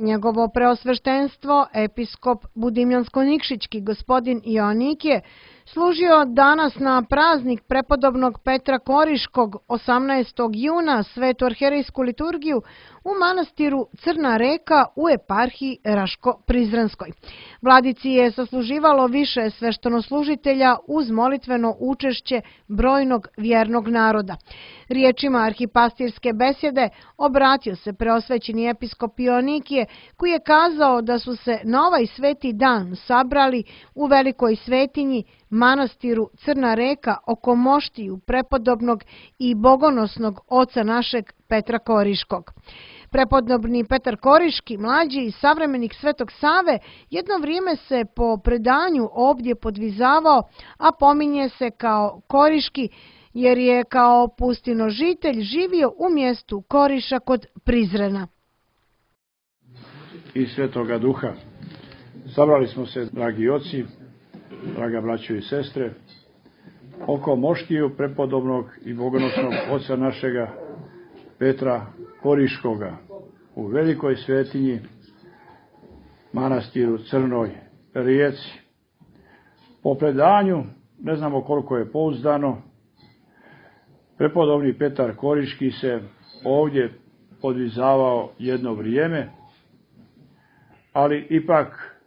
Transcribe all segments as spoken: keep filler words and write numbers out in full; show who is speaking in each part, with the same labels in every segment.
Speaker 1: Njegovo preosveštenstvo, episkop Budimljansko-Nikšićki gospodin Ionik je služio danas na praznik prepodobnog Petra Koriškog osamnaestog juna svetu arherejsku liturgiju u manastiru Crna Reka u eparhiji Raško-Prizrenskoj. Vladici je sasluživalo više sveštenoslužitelja uz molitveno učešće brojnog vjernog naroda. Riječima arhipastirske besjede obratio se preosvećeni episkop Ionikije, koji je kazao da su se na ovaj sveti dan sabrali u velikoj svetinji manastiru Crna Reka oko moštiju prepodobnog i bogonosnog oca našeg Petra Koriškog. Prepodobni Petar Koriški, mlađi i savremenik Svetog Save, jedno vrijeme se po predanju ovdje podvizavao, a pominje se kao Koriški, jer je kao pustinožitelj živio u mjestu Koriša kod Prizrena.
Speaker 2: I Svetoga Duha. Sabrali smo se, dragi oci, draga braćo i sestre, oko moštiju prepodobnog i bogonosnog oca našega Petra Koriškoga u velikoj svetinji manastiru Crnoj Rijeci. Po predanju, ne znamo koliko je pouzdano, prepodobni Petar Koriški se ovdje podvizavao jedno vrijeme, ali ipak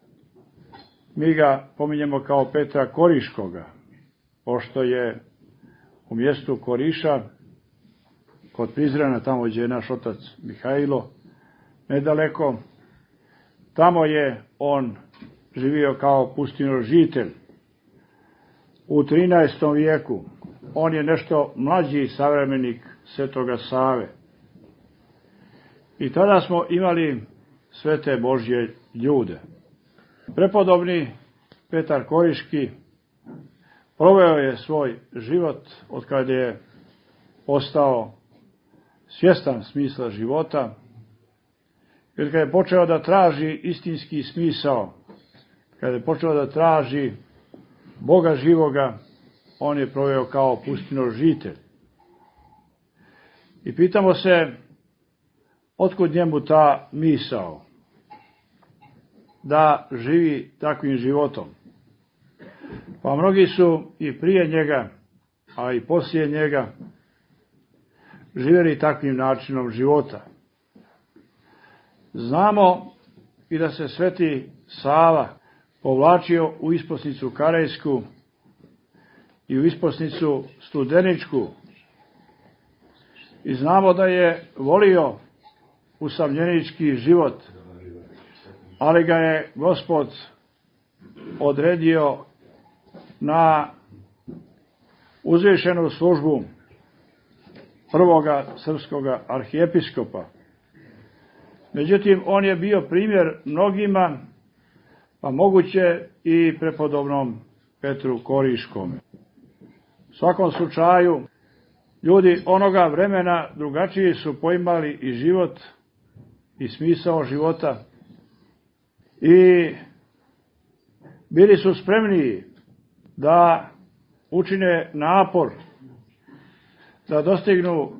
Speaker 2: mi ga pominjemo kao Petra Koriškoga, pošto je u mjestu Koriša, kod Prizrena, tamo gdje je naš otac Mihajlo, nedaleko, tamo je on živio kao pustinožitelj. U trinaestom vijeku on je nešto mlađi savremenik Svetoga Save. I tada smo imali svete Božje ljude. Prepodobni Petar Koriški proveo je svoj život od kada je postao svjestan smisla života, jer kada je počeo da traži istinski smisao, kada je počeo da traži Boga živoga, on je proveo kao pustinožitelj. I pitamo se, otkud njemu ta misao da živi takvim životom? Pa mnogi su i prije njega, a i poslije njega, živjeli takvim načinom života. Znamo i da se sveti Sava povlačio u isposnicu Karejsku i u isposnicu Studeničku. I znamo da je volio usamljenički život, ali ga je Gospod odredio na uzvišenu službu prvoga srpskoga arhijepiskopa. Međutim, on je bio primjer mnogima, pa moguće i prepodobnom Petru Koriškome. U svakom slučaju, ljudi onoga vremena drugačije su poimali i život i smisao života i bili su spremniji da učine napor da dostignu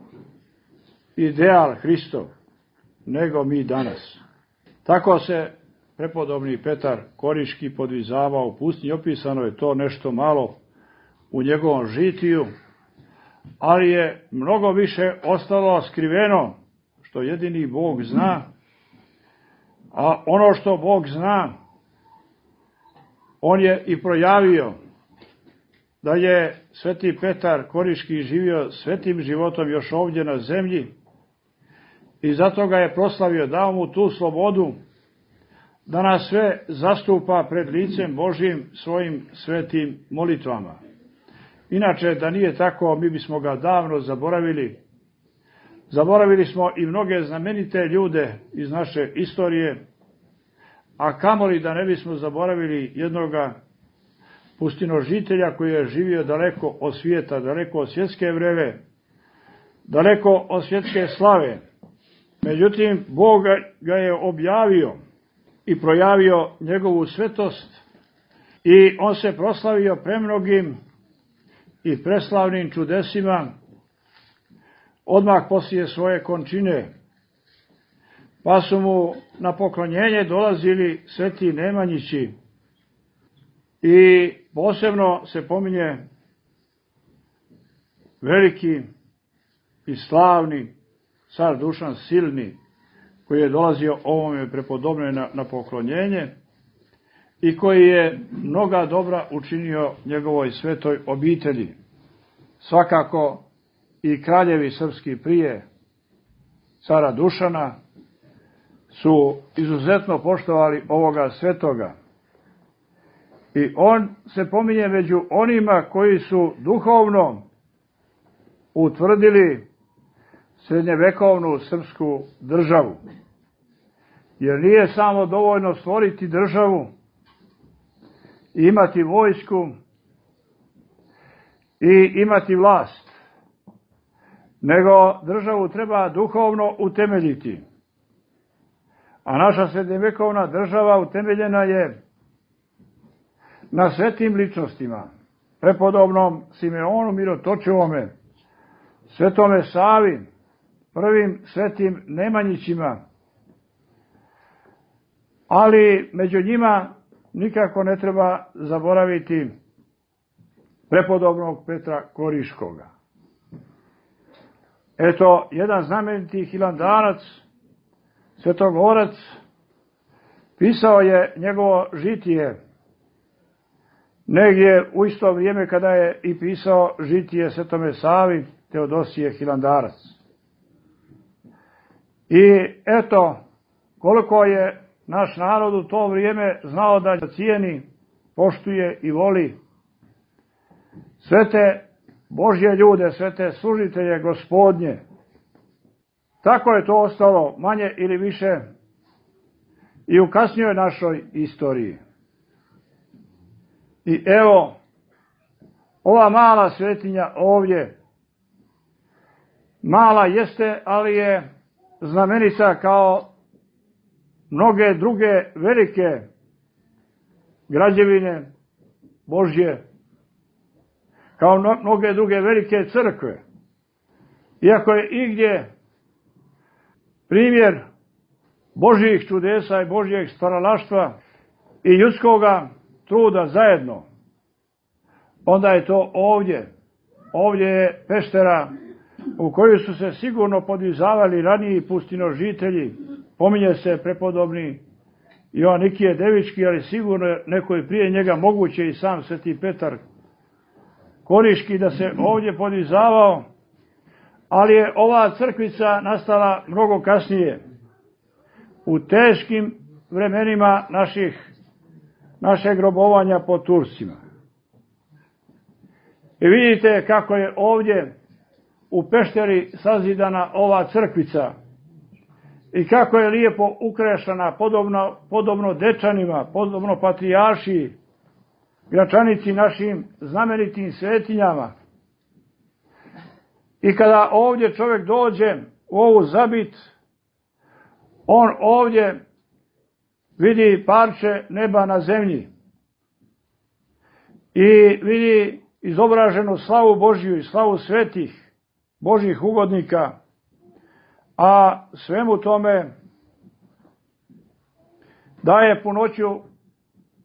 Speaker 2: ideal Hristov nego mi danas. Tako se prepodobni Petar Koriški podvizavao u pustinji. Opisano je to nešto malo u njegovom žitiju, ali je mnogo više ostalo skriveno, što jedini Bog zna, a ono što Bog zna, on je i projavio. Da je sveti Petar Koriški živio svetim životom još ovdje na zemlji i zato ga je proslavio, dao mu tu slobodu da nas sve zastupa pred licem Božjim svojim svetim molitvama. Inače, da nije tako, mi bismo ga davno zaboravili. Zaboravili smo i mnoge znamenite ljude iz naše istorije, a kamoli da ne bismo zaboravili jednoga pustinožitelja koji je živio daleko od svijeta, daleko od svjetske vreve, daleko od svjetske slave. Međutim, Bog ga je objavio i projavio njegovu svetost i on se proslavio premnogim i preslavnim čudesima odmah poslije svoje končine. pa su mu na poklonjenje dolazili sveti Nemanjići i posebno se pominje veliki i slavni car Dušan Silni, koji je dolazio ovome prepodobne na, na poklonjenje i koji je mnoga dobra učinio njegovoj svetoj obitelji. Svakako i kraljevi srpski prije cara Dušana su izuzetno poštovali ovoga svetoga. I on se pominje među onima koji su duhovno utvrdili srednjevekovnu srpsku državu. Jer nije samo dovoljno stvoriti državu i imati vojsku i imati vlast, nego državu treba duhovno utemeljiti. A naša srednjevekovna država utemeljena je na svetim ličnostima, prepodobnom Simeonu Mirotočivome, svetome Savi, prvim svetim Nemanjićima, ali među njima nikako ne treba zaboraviti prepodobnog Petra Koriškoga. Eto, jedan znameniti hilandarac, svetogorac, pisao je njegovo žitije negdje u isto vrijeme kada je i pisao žitije svetome Savi Teodosije hilandarac. I eto, koliko je naš narod u to vrijeme znao da cijeni, poštuje i voli sve te Božje ljude, sve te služitelje Gospodnje. Tako je to ostalo manje ili više i u kasnijoj našoj istoriji. I evo, ova mala svetinja ovdje, mala jeste, ali je znamenita kao mnoge druge velike građevine Božje, kao mnoge druge velike crkve. Iako je igdje primjer Božjih čudesa i Božjeg stvaralaštva i ljudskoga truda zajedno, onda je to ovdje. Ovdje je peštera u koju su se sigurno podvizavali raniji pustinožitelji. Pominje se prepodobni Joanikije Devički, ali sigurno neko je prije njega, moguće i sam sveti Petar Koriški, da se ovdje podvizavao, ali je ova crkvica nastala mnogo kasnije, u teškim vremenima naših, našeg robovanja pod Turcima. I vidite kako je ovdje u pešteri sazidana ova crkvica i kako je lijepo ukrešana, podobno, podobno Dečanima, podobno Patrijaršiji, Gračanici, našim znamenitim svetinjama. I kada ovdje čovjek dođe u ovu zabit, on ovdje vidi parče neba na zemlji i vidi izobraženu slavu Božju i slavu svetih Božjih ugodnika, a svemu tome daje punoću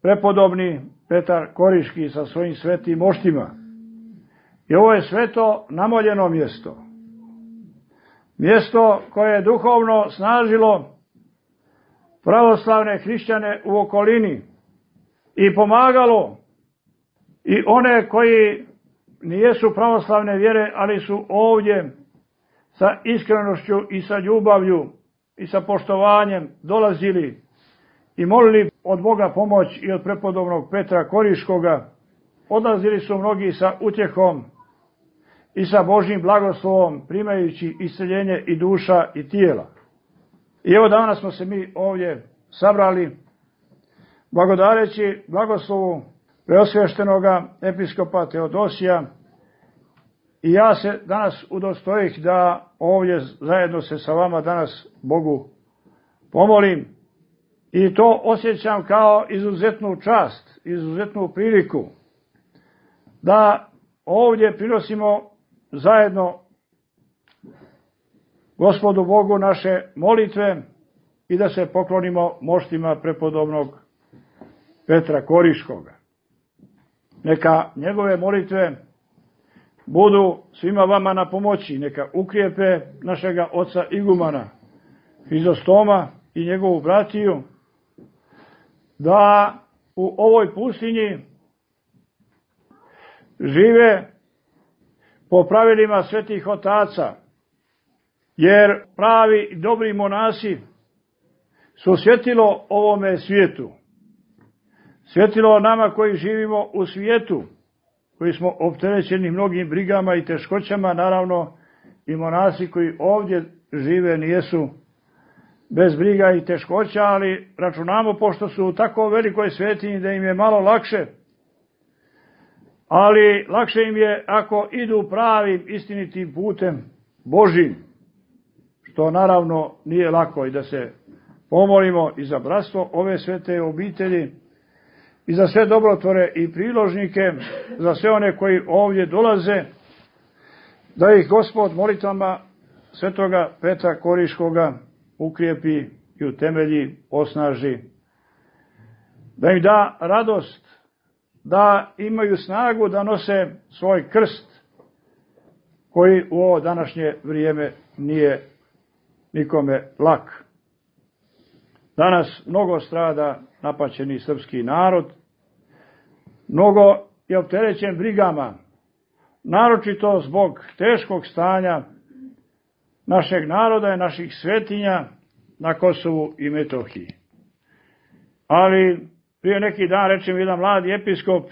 Speaker 2: prepodobni Petar Koriški sa svojim svetim moštima. I ovo je sveto namoljeno mjesto. Mjesto koje je duhovno snažilo pravoslavne hrišćane u okolini i pomagalo i one koji nijesu pravoslavne vjere, ali su ovdje sa iskrenošću i sa ljubavlju i sa poštovanjem dolazili i molili od Boga pomoć i od prepodobnog Petra Koriškoga. Odlazili su mnogi sa utjehom i sa Božjim blagoslovom, primajući isceljenje i duša i tijela. I evo danas smo se mi ovdje sabrali, blagodareći blagoslovu preosvještenoga episkopa Teodosija, i ja se danas udostojih da ovdje zajedno se sa vama danas Bogu pomolim i to osjećam kao izuzetnu čast, izuzetnu priliku da ovdje prinosimo zajedno Gospodu Bogu naše molitve i da se poklonimo moštima prepodobnog Petra Koriškoga. Neka njegove molitve budu svima vama na pomoći, neka ukrijepe našega oca igumana Hrizostoma i njegovu bratiju, da u ovoj pustinji žive po pravilima svetih otaca, jer pravi i dobri monasi su svjetilo ovome svijetu. Svjetilo nama koji živimo u svijetu, koji smo opterećeni mnogim brigama i teškoćama, naravno i monasi koji ovdje žive nijesu bez briga i teškoća, ali računamo, pošto su u tako velikoj svetinji, da im je malo lakše, ali lakše im je ako idu pravim istinitim putem Božim, što naravno nije lako, i da se pomolimo i za bratstvo ove svete obitelji i za sve dobrotvore i priložnike, za sve one koji ovdje dolaze, da ih Gospod molitvama svetoga Petra Koriškoga ukrijepi i utemelji, osnaži, da im da radost, da imaju snagu da nose svoj krst, koji u ovo današnje vrijeme nije nikome lak. Danas mnogo strada napaćeni srpski narod, mnogo je opterećen brigama, naročito zbog teškog stanja našeg naroda i naših svetinja na Kosovu i Metohiji. Ali prije neki dan reče mi jedan mladi episkop,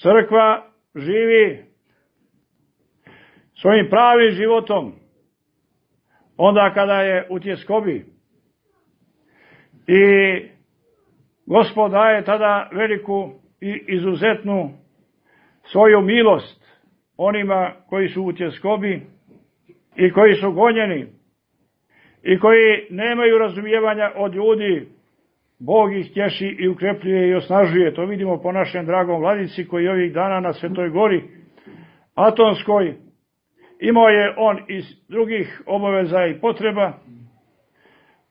Speaker 2: crkva živi svojim pravim životom onda kada je u tjeskobi, i Gospod daje tada veliku i izuzetnu svoju milost onima koji su u tjeskobi i koji su gonjeni i koji nemaju razumijevanja od ljudi. Bog ih tješi i ukrepljuje i osnažuje. To vidimo po našem dragom vladici koji ovih dana na Svetoj gori Atonskoj. Imao je on iz drugih obaveza i potreba,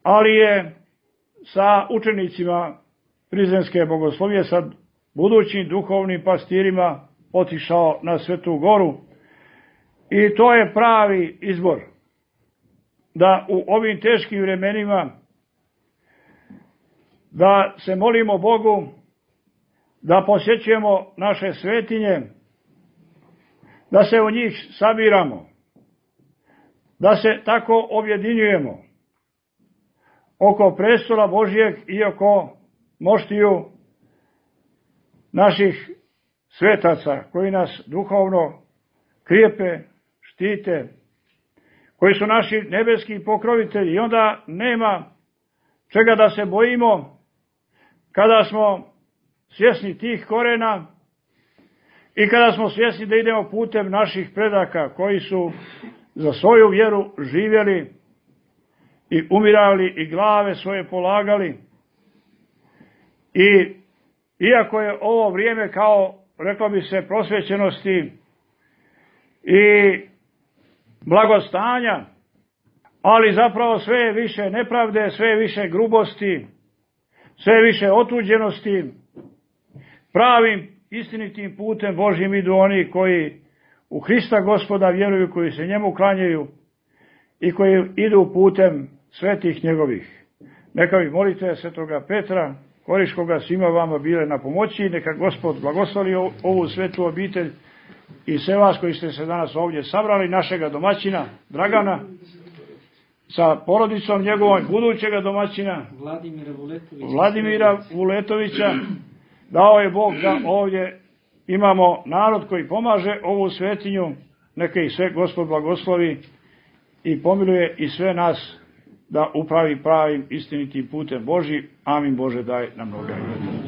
Speaker 2: ali je sa učenicima Prizrenske bogoslovije, sa budućim duhovnim pastirima otišao na Svetu goru, i to je pravi izbor, da u ovim teškim vremenima da se molimo Bogu, da posjećujemo naše svetinje, da se u njih sabiramo, da se tako objedinjujemo oko prestola Božijeg i oko moštiju naših svetaca koji nas duhovno krijepe, štite, koji su naši nebeski pokrovitelji, i onda nema čega da se bojimo kada smo svjesni tih korena i kada smo svjesni da idemo putem naših predaka koji su za svoju vjeru živjeli i umirali i glave svoje polagali. I iako je ovo vrijeme, kao reklo bi se, prosvećenosti i blagostanja, ali zapravo sve je više nepravde, sve je više grubosti, sve je više otuđenosti. Pravim istinitim putem Božjim idu oni koji u Hrista Gospoda vjeruju, koji se njemu klanjaju i koji idu putem svetih njegovih. Neka vi molite svetoga Petra Koriškoga svima vama bile na pomoći, neka Gospod blagoslovi ovu svetu obitelj i sve vas koji ste se danas ovdje sabrali, našega domaćina Dragana sa porodicom njegovom, budućega domaćina
Speaker 3: Vladimira Vuletovića.
Speaker 2: Vladimira Vuletovića. Dao je Bog da ovdje imamo narod koji pomaže ovu svetinju, neka ih sve Gospod blagoslovi i pomiluje i sve nas da upravi pravim istinitim putem Božji. Amin. Bože, daj nam mnogo.